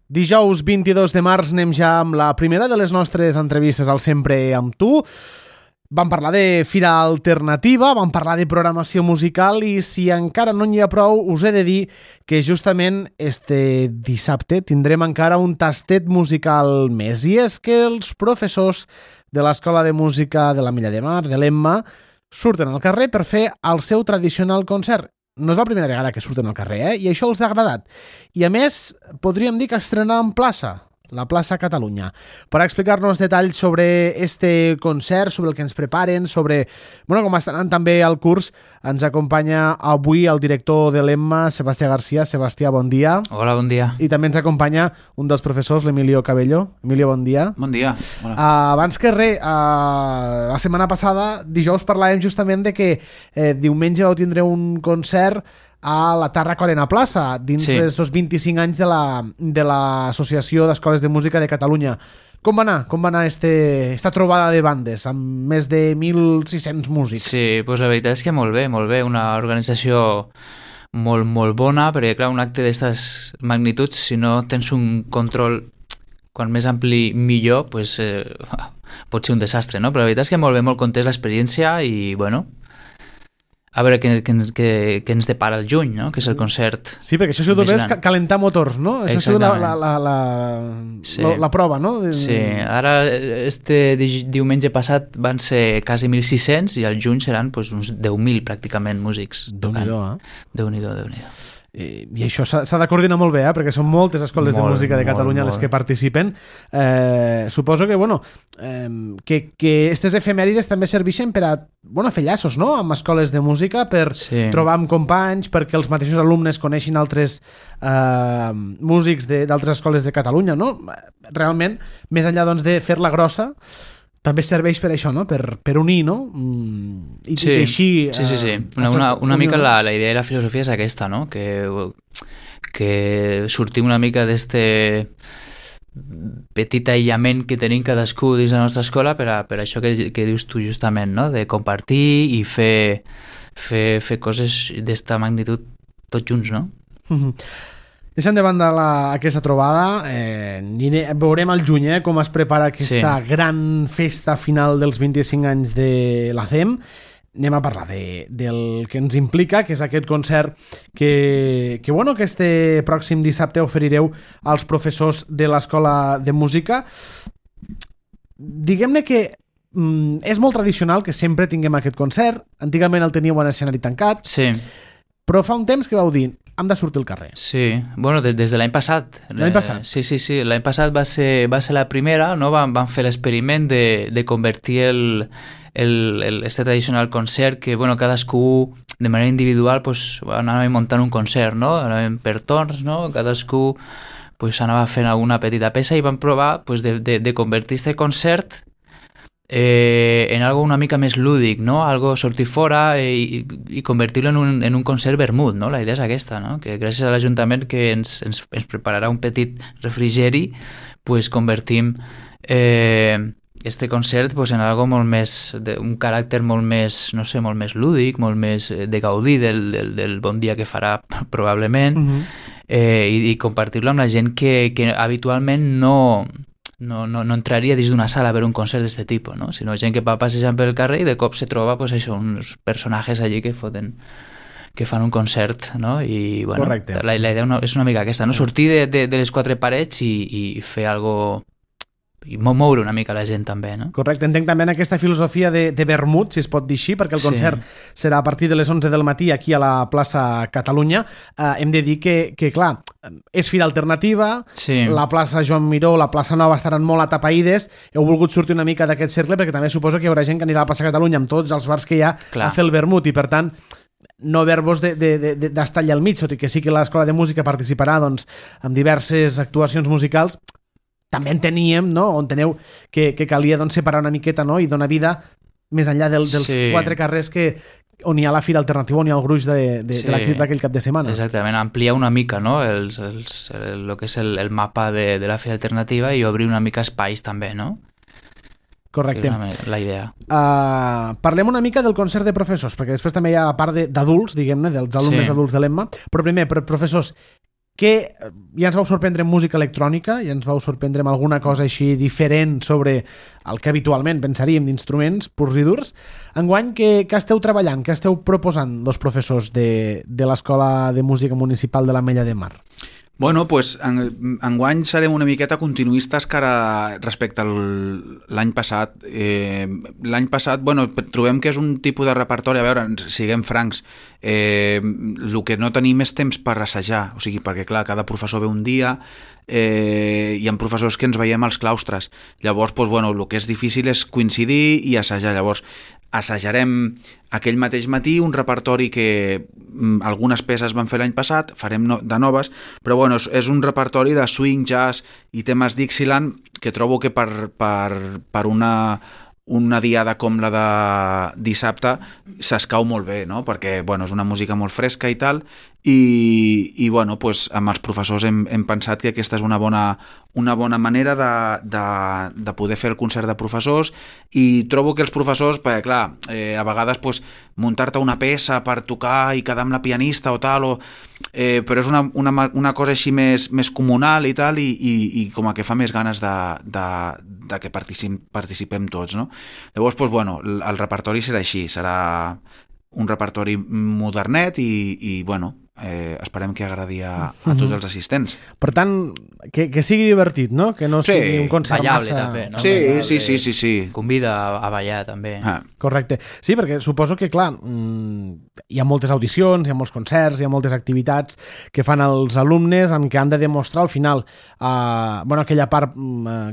Dijous 22 de març anem ja amb la primera de les nostres entrevistes al Sempre amb tu. Vam parlar de Fira Alternativa, vam parlar de programació musical i si encara no n'hi ha prou, us he de dir que justament este dissabte tindrem encara un tastet musical més. I és que els professors de l'Escola de Música de l'Ametlla de Mar, de l'Emma, surten al carrer per fer el seu tradicional concert. No és la primera vegada que surten al carrer, i això els ha agradat. I a més, podríem dir que estrenaran plaça, la plaça Catalunya. Per explicar-nos detalls sobre este concert, sobre el que ens preparen, sobre com estaran també al curs, ens acompanya avui el director de l'Emma, Sebastià Garcia. Sebastià, bon dia. Hola, bon dia. I també ens acompanya un dels professors, l'Emilio Cabello. Emilio, bon dia. Bon dia. Abans que res, la setmana passada, dijous, parlàvem justament de que diumenge vau tindre un concert a la Tàrraco Arena Plaça, dins dels 25 anys de l'Associació d'Escoles de Música de Catalunya. Com va anar esta trobada de bandes amb més de 1.600 músics? Sí, doncs la veritat és que molt bé. Una organització molt bona, perquè clar, un acte d'aquestes magnituds, si no tens un control quan més ampli millor, pot ser un desastre, no? Però la veritat és que molt bé, molt content l'experiència i a veure què ens depara el juny, no? Que és el concert. Sí, perquè això ha sigut només calentar motors, no? Això ha sigut la prova, no? Sí, ara este diumenge passat van ser quasi 1.600 i al juny seran uns 10.000 pràcticament músics. Déu-n'hi-do, Déu-n'hi-do. I això s'ha de coordinar molt bé, perquè són moltes escoles de música de Catalunya les que participen. Suposo que aquestes efemèrides també serveixen per a fer llaços, no?, amb escoles de música, per trobar amb companys, perquè els mateixos alumnes coneixin altres músics d'altres escoles de Catalunya, no? Realment, més enllà de fer-la grossa, també serveix per això, no? Per unir, no? I així... Sí. Una mica la idea i la filosofia és aquesta, no? Que sortim una mica d'este petit aïllament que tenim cadascú dins la nostra escola per això que dius tu justament, no? De compartir i fer coses d'esta magnitud tots junts, no? Deixant de banda aquesta trobada, veurem al juny com es prepara aquesta gran festa final dels 25 anys de la CEM. Anem a parlar del que ens implica, que és aquest concert que este pròxim dissabte oferireu als professors de l'Escola de Música. Diguem-ne que és molt tradicional que sempre tinguem aquest concert. Antigament el teníeu en escenari tancat, però fa un temps que vau dir hem de sortir al carrer. Sí, des de l'any passat. L'any passat? Sí, l'any passat va ser la primera, no? Van fer l'experiment de convertir este tradicional concert que, cadascú de manera individual anava muntant un concert, no? Anàvem per torns, no? Cadascú anava fent alguna petita peça i van provar de convertir este concert en algo una mica més lúdic, no? Algo sortir fora i convertir-lo en un concert vermut, no? La idea és aquesta, no? Que gràcies a l'Ajuntament que ens prepararà un petit refrigeri, convertim este concert en algo molt més, un caràcter molt més, no sé, molt més lúdic, molt més de gaudir del bon dia que farà probablement, i compartir-lo amb la gent que habitualment no entraria dins d'una sala a veure un concert d'aquest tipus, no? Sinó gent que va passejant pel carrer i de cop se troba uns personatges allí que fan un concert, no? I la idea és una mica aquesta, no? Sortir de les quatre parets i fer algo i moure una mica la gent també, no? Correcte, entenc també en aquesta filosofia de vermut, si es pot dir així, perquè el concert serà a partir de les 11 del matí aquí a la plaça Catalunya. Hem de dir que clar, és Fira Alternativa, la plaça Joan Miró, la plaça Nova estaran molt atapeïdes, heu volgut sortir una mica d'aquest cercle perquè també suposo que hi haurà gent que anirà a la plaça Catalunya amb tots els bars que hi ha a fer el vermut i per tant no haver-vos d'estar allà al mig, tot i que sí que l'Escola de Música participarà en diverses actuacions musicals. També enteníem, no? Enteneu que calia separar una miqueta, no? I donar vida més enllà dels quatre carrers on hi ha la Fira Alternativa, on hi ha el gruix de l'activitat d'aquell cap de setmana. Exactament, ampliar una mica, no? El que és el mapa de la Fira Alternativa i obrir una mica espais també, no? Correcte. La idea. Parlem una mica del concert de professors, perquè després també hi ha la part d'adults, diguem-ne, dels alumnes adults de l'Emma, però primer, per professors, que ja ens vau sorprendre en música electrònica, ja ens vau sorprendre amb alguna cosa així diferent sobre el que habitualment pensaríem d'instruments purs i durs. Enguany, què esteu treballant, què esteu proposant els professors de l'Escola de Música Municipal de l'Ametlla de Mar? Bueno, pues, enguany serem una miqueta continuistes respecte a l'any passat. L'any passat, bueno, trobem que és un tipus de repertori, a veure, siguem francs, el que no tenim és temps per assajar, o sigui, perquè clar, cada professor ve un dia, hi ha professors que ens veiem als claustres, llavors, pues, bueno, el que és difícil és coincidir i assajar, llavors assajarem aquell mateix matí un repertori que algunes peces van fer l'any passat, farem de noves, però bueno, és un repertori de swing, jazz i temes Dixieland que trobo que per una diada com la de dissabte s'escau molt bé, no? Perquè bueno, és una música molt fresca i tal, i bueno, pues, amb els professors hem pensat que aquesta és una bona manera de poder fer el concert de professors, i trobo que els professors, perquè clar, a vegades pues, muntar-te una peça per tocar i quedar amb la pianista o tal, però és una cosa així més comunal i tal, i com a que fa més ganes de que participem tots, no? Llavors, pues, bueno, el repertori serà així, serà un repertori modernet i bueno, esperem que agradi a tots els assistents. Per tant, que sigui divertit, no? Que no sigui un concert ballable, massa... també, no? Sí. Convida a ballar, també. Correcte. Sí, perquè suposo que, clar, hi ha moltes audicions, hi ha molts concerts, hi ha moltes activitats que fan els alumnes en què han de demostrar al final aquella part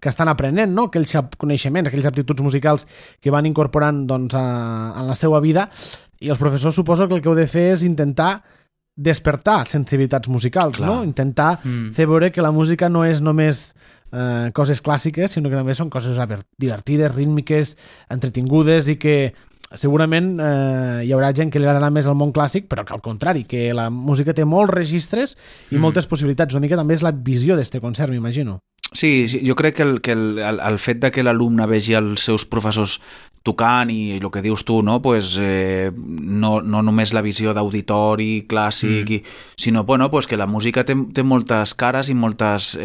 que estan aprenent, no? Aquells coneixements, aquelles aptituds musicals que van incorporant doncs, en la seva vida, i els professors suposo que el que heu de fer és intentar despertar sensibilitats musicals, no? Intentar fer veure que la música no és només coses clàssiques, sinó que també són coses divertides, rítmiques, entretingudes, i que segurament hi haurà gent que li agradarà més el món clàssic, però que al contrari, que la música té molts registres i moltes possibilitats. Una mica també és la visió d'este concert, m'imagino. Sí, jo crec que el fet de que l'alumne vegi els seus professors tocant i el que dius tu, no, pues, no només la visió d'auditori clàssic, sinó bueno, pues, que la música té moltes cares i moltes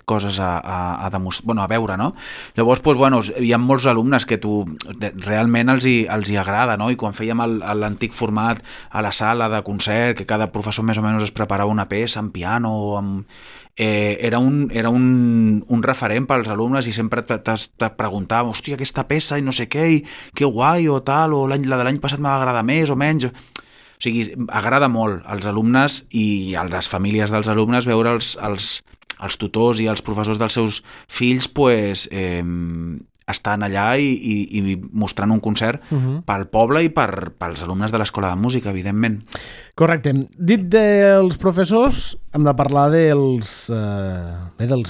coses a veure, no? Llavors, pues, bueno, hi ha molts alumnes que realment els hi agrada, no? I quan fèiem l'antic format a la sala de concert, que cada professor més o menys es preparava una peça en piano o era un referent pels alumnes, i sempre te preguntàvem, hòstia, aquesta peça i no sé què, i que guai o tal, o la de l'any passat m'va agradar més o menys. O sigui, agrada molt als alumnes i a les famílies dels alumnes veure els tutors i els professors dels seus fills pues, estan allà i mostrant un concert pel poble i pels alumnes de l'Escola de Música, evidentment. Correcte. Dit dels professors, hem de parlar dels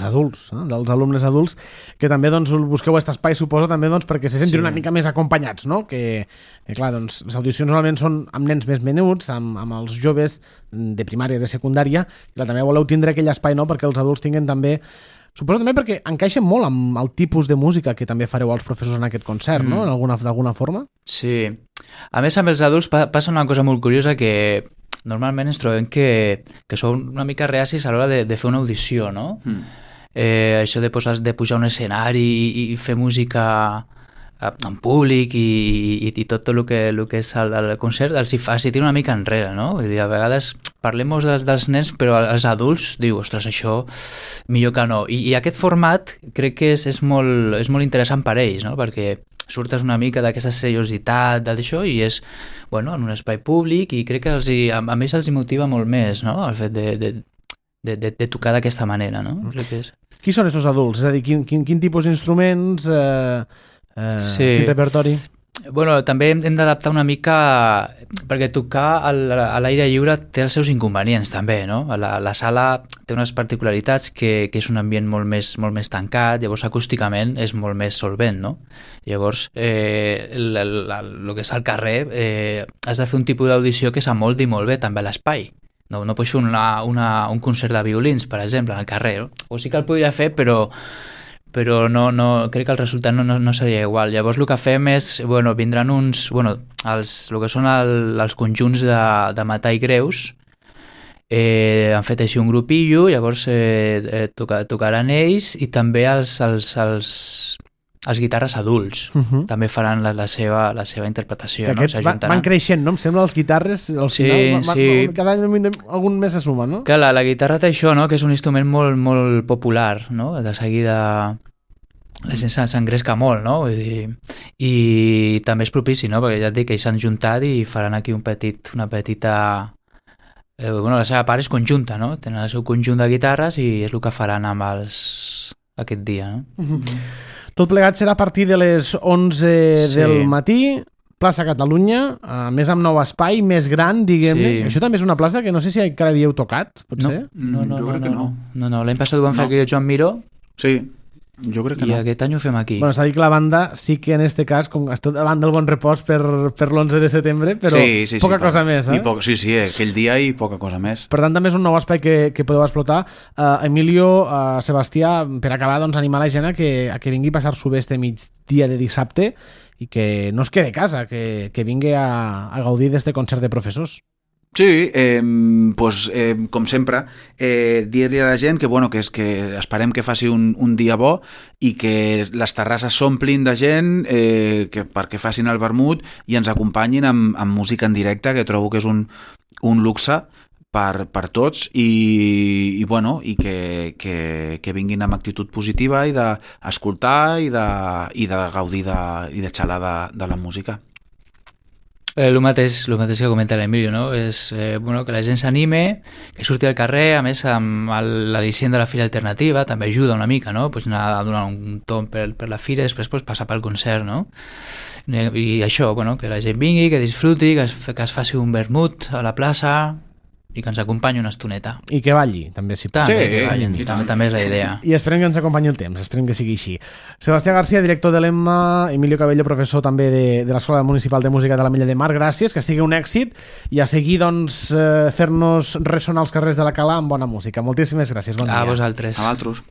adults, dels alumnes adults, que també doncs, busqueu aquest espai, suposo, també doncs, perquè se sentin una mica més acompanyats, no? Que clar, doncs, les audicions normalment són amb nens més menuts, amb els joves de primària i de secundària, i també voleu tindre aquell espai, no?, perquè els adults tinguin també... Suposo també perquè encaixen molt amb el tipus de música que també fareu als professors en aquest concert, no?, d'alguna forma. Sí. A més, amb els adults passa una cosa molt curiosa, que normalment ens trobem que són una mica reacis a l'hora de fer una audició, no? Això de pujar a un escenari i fer música en públic i tot el que és el concert els hi tira una mica enrere, no? Vull dir, a vegades parlem dels nens, però els adults diu, ostres, això millor que no. I aquest format crec que és molt interessant per ells, no? Perquè surtes una mica d'aquesta seriositat d'això i és, bueno, en un espai públic, i crec que a més els motiva molt més, no?, el fet de tocar d'aquesta manera, no? Crec que és... Qui són aquests adults? És a dir, quin tipus d'instruments... quin repertori? Bueno, també hem d'adaptar una mica, perquè tocar a l'aire lliure té els seus inconvenients també, no? La sala té unes particularitats, que és un ambient molt més tancat, llavors acústicament és molt més solvent, no? Llavors, el que és al carrer, has de fer un tipus d'audició que s'amoldi molt bé també a l'espai. No pots fer un concert de violins, per exemple, al carrer, no? O sí que el podria fer, però no, crec que el resultat no seria igual. Llavors el que fem és, vindran el que són els conjunts de metall greus, Han fet així un grupillo, llavors tocaran ells i també els guitarres adults també faran la seva interpretació. Que aquests van creixent, no? Em sembla, els guitarres al final, cada any algun més se suma, no? Clar, la guitarra té això, no? Que és un instrument molt, molt popular, no? De seguida la gent s'engresca molt, no? Vull dir, i també és propici, no? Perquè ja et dic que ells s'han juntat i faran aquí una petita... la seva part és conjunta, no? Tenen el seu conjunt de guitarres i és el que faran amb aquest dia, no? Tot plegat serà a partir de les 11 del matí, plaça Catalunya, més amb nou espai, més gran, diguem-ne. Això també és una plaça que no sé si encara havíeu tocat, potser? No, jo crec que no. No, l'any passat ho vam fer aquí el Joan Miró. Sí, jo crec que no. I aquest any ho fem aquí. Bueno, s'ha dit que la banda sí que en este cas, com està davant del Bon Repòs per l'11 de setembre, però poca cosa més, eh? Sí, aquell dia i poca cosa més. Per tant, també és un nou espai que podeu explotar. Emilio, Sebastià, per acabar, doncs, animar la gent a que vingui a passar-s'ho bé este migdia de dissabte i que no es quede a casa, que vingui a gaudir d'este concert de professors. Sí, com sempre, dir-li a la gent que esperem que faci un dia bo i que les terrasses s'omplin de gent perquè facin el vermut i ens acompanyin amb música en directe, que trobo que és un luxe per tots i que vinguin amb actitud positiva i d'escoltar i de gaudir i de xalar de la música. El mateix que comenta l'Emilio, no? És que la gent s'anime, que surti al carrer, a més amb l'al·licient de la Fira Alternativa també ajuda una mica, no? Pues anar a donar un tomb per la fira i després passar pel concert, no? I això, que la gent vingui, que disfruti, que es faci un vermut a la plaça i que ens acompanyi una estoneta. I que balli, també, si pot. També és la idea. I esperem que ens acompanyi el temps, esperem que sigui així. Sebastià García, director de l'Emma, Emilio Cabello, professor també de l'Escola Municipal de Música de l'Ametlla de Mar, gràcies, que sigui un èxit i a seguir, doncs, fer-nos ressonar els carrers de la Cala amb bona música. Moltíssimes gràcies, bon dia. A vosaltres. A vosaltres.